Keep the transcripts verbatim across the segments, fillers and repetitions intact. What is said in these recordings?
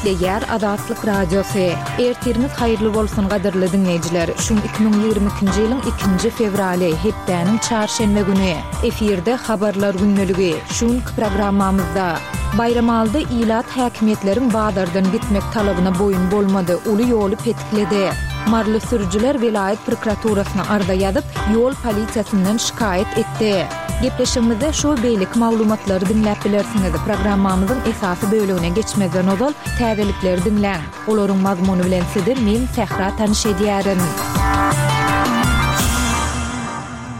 Gepleýär Azatlyk Radiosy. Ertiriňiz haýyrly bolsun gadyrly diňleýjiler. Şu iki müň ýigrimi ikinji ýylyň ikinji fewraly, hepdäniň çarşenbe güni. Efirde habarlar gündeligi. Şu günki programmamyzda Baýramalyda ilat häkimiýetleriň bazardan gitmek talabyna boýun bolmady, uly ýoly petikledi. Maryly sürüjiler welaýat prokuraturasyna arza ýazyp, ýol polisiýasyndan şikaýat etdi. Gepleşigimizde şu we beýleki maglumatlary diňläp bilersiňiz. Programmamyzyň esasy bölegine geçmezden ozal, täzelikleri diňläň. Olaryň mazmuny bilen sizi men, Sähra tanyş edýärin.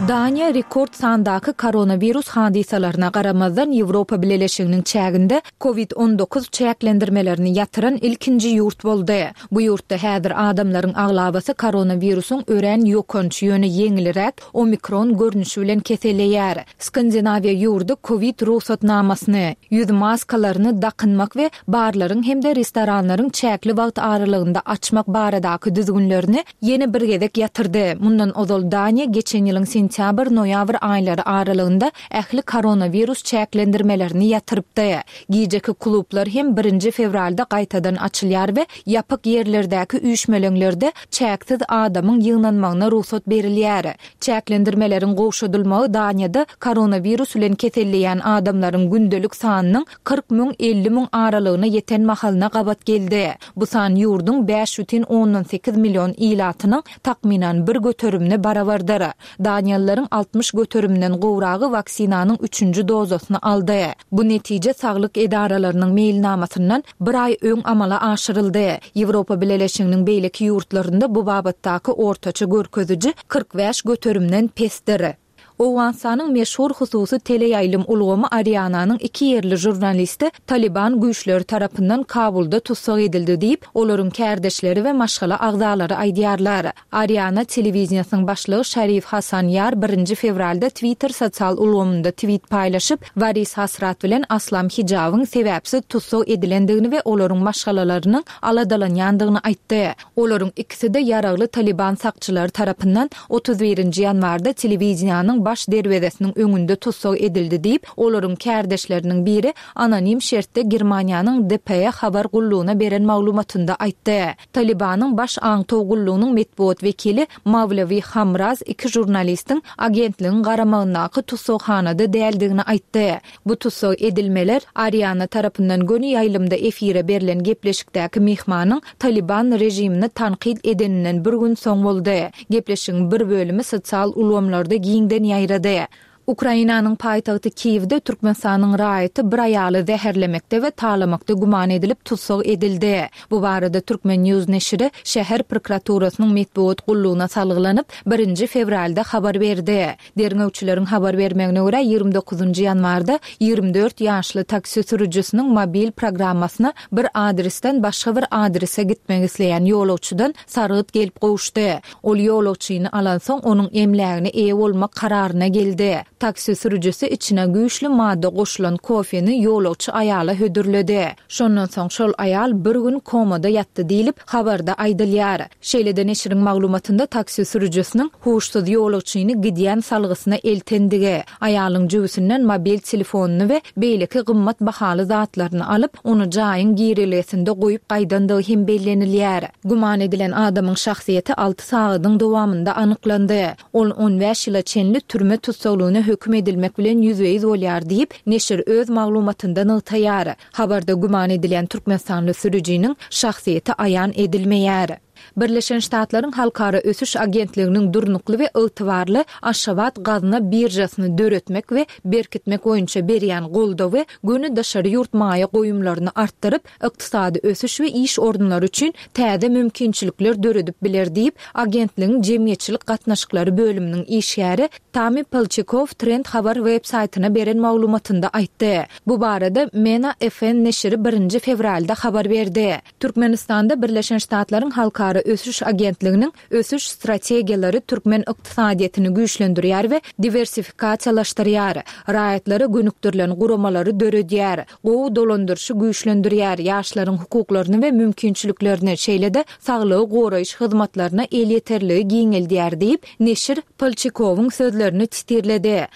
Daniýa rekord sandaky koronawirus hadysalaryna garamazdan Ýewropa Bileleşiginiň çäginde Covid on dokuz çäklendirmelerini ýatyran ilkinji ýurt boldy. Bu ýurtda häzir adamlaryň aglabasy koronawirusyň örän ýokanç, ýöne ýeňilräk omikron görnüşi bilen keselleýär. Skandinawiýa ýurdy Covid rugsatnamasyny, ýüz maskalaryny dakynmak we barlaryň hem-de restoranlaryň çäkli wagt aralygynda açmak baradaky düzgünlerini ýene bir gezek ýatyrdy. Mundan ozal Daniýa geçen ýylyň sentýabr-noýabr aýlary aralygynda ähli koronawirus çäklendirmelerini ýatyrypdy. Gijeki klublar hem birinji fewralda gaýtadan açylýar we ýapyk ýerlerdäki üýşmeleňlerde çäksiz adamyň ýygnanmagyna rugsat berilýär. Çäklendirmeleriň gowşadylmagy Daniýada koronawirus bilen keselleýän adamlaryň gündelik sanynyň kyrk müň elli müň aralygyna ýeten mahalyna gabat geldi. Bu san ýurduň bäş bütin ondan sekiz million ilatynyň takmynan bir göterimine barabardyr. Daniýalylaryň altmyş göteriminden gowragy waksinanyň üçünji dozasyny aldy. Bu netije saglyk edaralarynyň meýilnamasyndan bir aý öň amala aşyryldy. Ýewropa Bileleşiginiň beýleki ýurtlarynda bu babatdaky ortaça görkeziji kyrk bäş göterimden pesdir. Owganystanyň meşhur hususy teleýaýlym ulgamy Ariananyň iki ýerli žurnalisti Taliban güýçleri tarapyndan Kabulda tussag edildi diýip, olaryň kärdeşleri we maşgala agzalary aýdýarlar. Ariana telewideniýasynyň başlygy Şarif Hasan Ýar birinji fewralda Twitter sosial ulgamynda tweet paýlaşyp, Waris Hasrat bilen Aslam Hijabyň sebäpsiz tussag edilendigini we olaryň maşgalalarynyň aladalanýandygyny aýtdy. Olaryň ikisi-de ýaragly Taliban sakçylary tarapyndan otuz birinji ýanwarda telewideniýanyň baş derwezesiniň öňünde tussag edildi diýip, olaryň kärdeşleriniň biri anonim şertde Germaniýanyň D P E habar gullugyna beren maglumatynda aýtdy. Talibanyň baş aňtaw gullugynyň metbugat wekili Mawlawi Hamraz iki žurnalistiň agentligiň garamagyndaky tussaghanada däldigini aýtdy. Bu tussag edilmeler Ariana tarapyndan göni ýaýlymda efire berlen gepleşikdäki mehmanyň Taliban režimini tankyt edeninden bir gün soň boldy. Gepleşigiň bir bölümi sosial ulgamlarda giňden ýaýrady. Ukrainanyň paýtagty Kiýewde Türkmenistanyň raýaty bir aýaly zäherlemekde we talamakda güman edilip tussag edildi. Bu barada Türkmen News neşiri şäher prokuraturasynyň metbugat gullugyna salgylanyp, birinji fewralda habar berdi. Derňewçileriň habar bermegine görä, ýigrimi dokuzynjy ýanwarda ýigrimi dört ýaşly taksi sürüjisiniň mobil programmasyna bir adresden başga bir adrese gitmek isleýän ýolagçydan sargyt gelip gowuşdy. Ol ýolagçyny alansoň onuň emlägine eýe bolmak kararyna geldi. Taksi sürüjisi içine güýçli madda goşulan kofeni ýolagçy aýala hödürledi. Şondan soň şol aýal bir gün komada ýatdy diýlip, habarda aýdylýar. Şeýle-de neşiriň maglumatynda taksi sürüjisiniň huşsuz ýolagçyny gidýän salgysyna eltendigi, aýalyň jübüsinden mobil telefonyny we beýleki gymmat bahaly zatlaryny alyp, ony jaýyň girelgesinde goýup gaýdandygy hem bellenilýär. Güman edilen adamyň şahsyýeti alty sagadyň dowamynda anyklandy. Ol on bäş ýyla çenli türme tussaglygyna höküm edilmek bilen ýüzbe-ýüz bolýar diýip, neşir öz maglumatynda nygtaýar. Habarda güman edilen türkmenistanly sürüjiniň şahsyýeti aýan edilmeýär. Birleşen Ştatlaryň Halkara Ösüş Agentliginiň durnukly we ygtybarly Aşgabat gazna biržasyny döretmek we berkitmek boýunça berýän goldawy göni daşary ýurt maýa goýumlaryny artdyryp, ykdysady ösüş we iş orunlary üçin täze mümkinçilikler döredip biler diýip, agentligiň jemgyýetçilik gatnaşyklary bölüminiň işgäri Tami Palçikow Trend habar web saýtyna beren maglumatynda aýtdy. Bu barada Mena F N neşiri birinji fewralda habar berdi. Türkmenistanda Birleşen Ştatlaryň Halkara Ösüş Agentliginiň ösüş strategiýalary türkmen ykdysadyýetini güýçlendirýär we diwersifikasiýalaşdyrýar, raýatlara gönükdirilen guramalary döredýär, gowy dolandyryşy güýçlendirýär, ýaşlaryň hukuklaryny we mümkinçiliklerini, şeýle-de saglygy goraýyş hyzmatlaryna elýeterligi giňeldýär diýip, neşir Palçikowyň sözlerini titirledi.